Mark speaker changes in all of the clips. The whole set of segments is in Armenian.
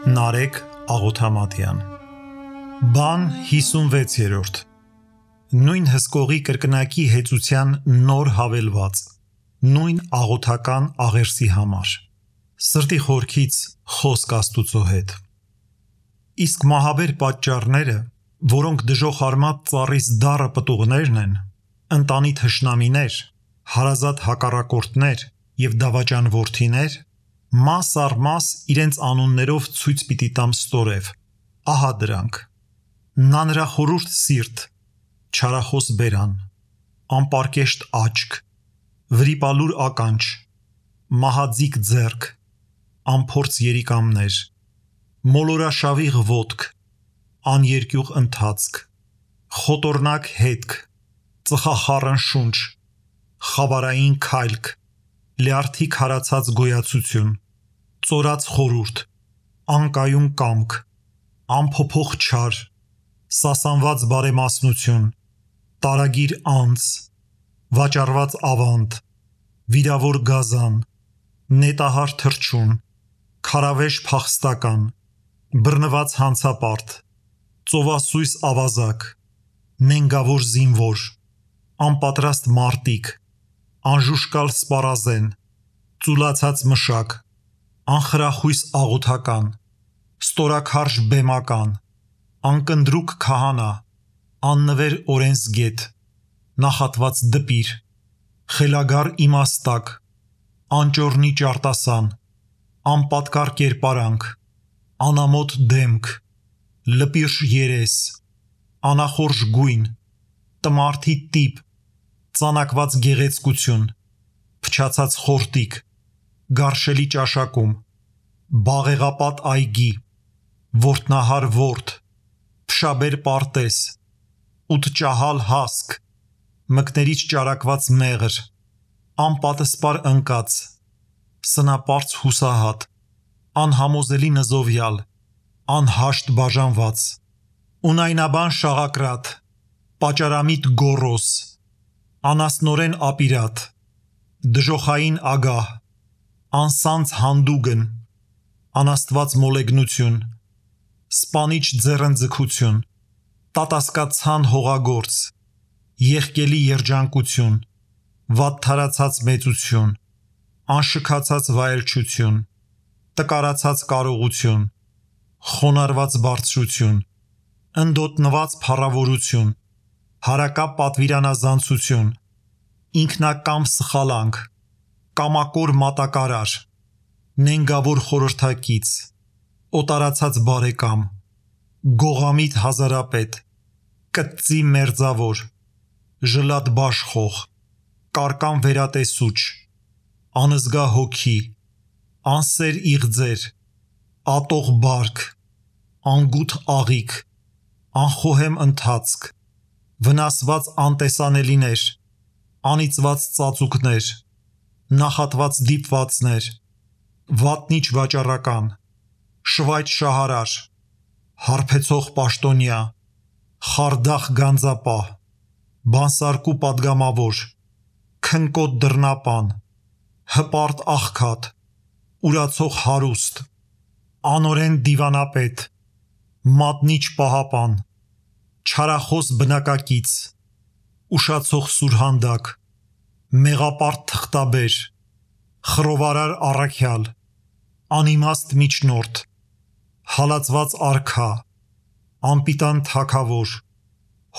Speaker 1: Նարեկ Աղոթամատյան Բան 56-րդ Նույն հսկողի կրկնակի հեծության նոր հավելված Նույն աղոթական աղերսի համար Սրտի խորքից խոսք Աստուծո հետ Իսկ մահաբեր պատճառները, որոնք դժոխարմատ ծառից դառը պտուղներն են, ընտանի թշնամիներ, հարազատ հակառակորդներ և դավաճան որդիներ, մաս առ մաս իրենց անուններով ցույց պիտի տամ ստորև, ահա դրանք, նա նրա խորուրդ սիրտ, չարախոս բերան, անպարկեշտ աչք, վրիպալուր ականջ, մահաձիկ ձեռք, անփորձ երիկամներ, մոլորաշավիղ ոտք, աներկյուղ ընթացք, խոտորնակ հետք, ծխախառն շունչ, խավարային քայլք, լյարդի քարացած գոյացություն, ծորած խորուրդ, անկայուն կամք, անփոփոխ չար, սասանված բարեմասնություն, տարագիր անձ, վաճառված ավանդ, վիրավոր գազան, նետահար թռչուն, քարավեժ փախստական, բռնված հանցապարտ, ծովասույս ավազակ, նենգավոր զինվոր, անպատրաստ մարտիկ, անժուշկալ սպառազեն, ծուլացած մշակ, անխրախույս աղոթական, ստորաքարշ բեմական, անկնդրուկ քահանա, աննվեր օրենսգետ, նախատված դպիր, խելագար իմաստակ, անճոռնի ճարտասան, անպատկար կերպարանք, անամոթ դեմք, լպիրշ երես, անախորժ գույն, տմարդի տիպ, ծանակված գեղեցկություն, փչացած խորտիկ, գարշելի ճաշակում, բաղեղապատ այգի, որտնահար ворդ, փշաբեր պարտեզ, ութճահալ հասկ, մկներից ճարակված մեղր, անպատսպար ընկած, սնապարծ հուսահատ, անհամոզելի նզովյալ, անհաշտ բաժանված, ունայնաբան շաղակրատ, պաճարամիտ գոռոս, անասնորեն ապիրատ, դժոխային ագահ, անսանձ հանդուգն, անաստված մոլեգնություն, սպանիչ ձեռնձգություն, տատասկացան հողագործ, եղկելի երջանկություն, վատթարացած մեծություն, անշքացած վայելչություն, տկարացած կարողություն, խոնարհված բարձրություն, ընդոտնված փառավորություն, հարակապ պատվիրանազանցություն, ինքնակամ սխալանք, կամակոր մատակարար, նենգավոր խորհրդակից, օտարացած բարեկամ, գողամիտ հազարապետ, կծի մերձավոր, ժլատ բաշխող, կարկան վերատեսուչ, անզգա հոգի, անսեր իղձեր, ատող բարք, անգութ աղիք, անխոհեմ ընթացք, վնասված անտեսանելիներ, անիծված ծածուկներ, նախատված դիպվածներ, վատնիչ վաճառական, շվայտ շահարար, հարբեցող պաշտոնյա, խարդախ գանձապահ, բանսարկու պատգամավոր, քնկոտ դռնապան, հպարտ աղքատ, ուրացող հարուստ, անօրեն դիվանապետ, մատնիչ պահապան, չարախոս բնակակից, ուշացող սուրհանդակ, մեղապարտ թղթաբեր, խռովարար առաքյալ, անիմաստ միջնորդ, հալածված արքա, անպիտան թագավոր,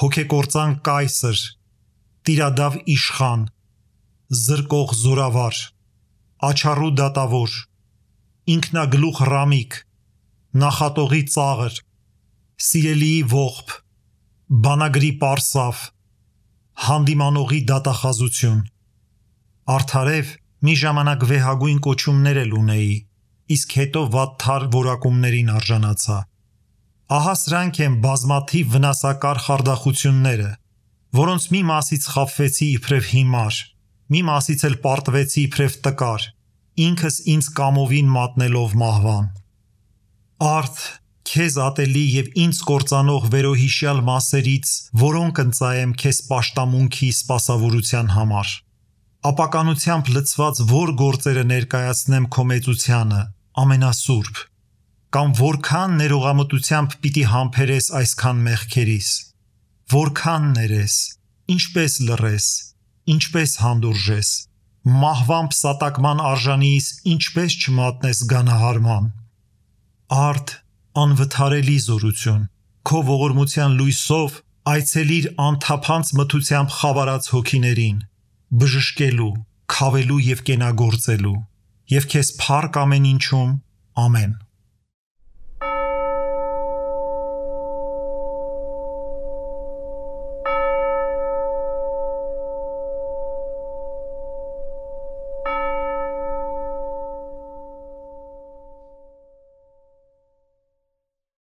Speaker 1: հոգեկործան կայսր, տիրադավ իշխան, զրկող զորավար, աչառու դատավոր, ինքնագլուխ ռամիկ, նախատողի ծաղր, սիրելիի ողբ, բանագրի պարսավ, հանդիմանողի դատախազություն, արդարև մի ժամանակ վեհագույն կոչումներ էլ ունեի, իսկ հետո վատթար որակումներին արժանացա, ահա սրանք են բազմաթիվ վնասակար խարդախությունները, որոնց մի մասից խաբվեցի իբրև հիմար, մի մասից էլ պարտվեցի իբրև տկար, ինքս ինձ կամովին մատնելով մահվան, արդ, քեզ ատելի և ինձ կործանող վերոհիշյալ մասերից, որոնք ընծայեմ քեզ պաշտամունքի սպասավորության համար, ապականությամբ լցված որ գործերը ներկայացնեմ քո մեծությանը, ամենասուրբ, կամ որքան ներողամտությամբ պիտի համբերես այսքան մեղքերիս, որքան ներես, ինչպես լռես, ինչպես հանդուրժես, մահվան պսատակման արժանիից ինչպես չմատնես գանահարման։ Արդ անվթարելի զորություն, քո ողորմության լույսով այցելիր անթափանց մթությամբ խավարած հոգիներին, բժշկելու, քավելու և կենագործելու, և քեզ փառք ամեն ինչում, ամեն։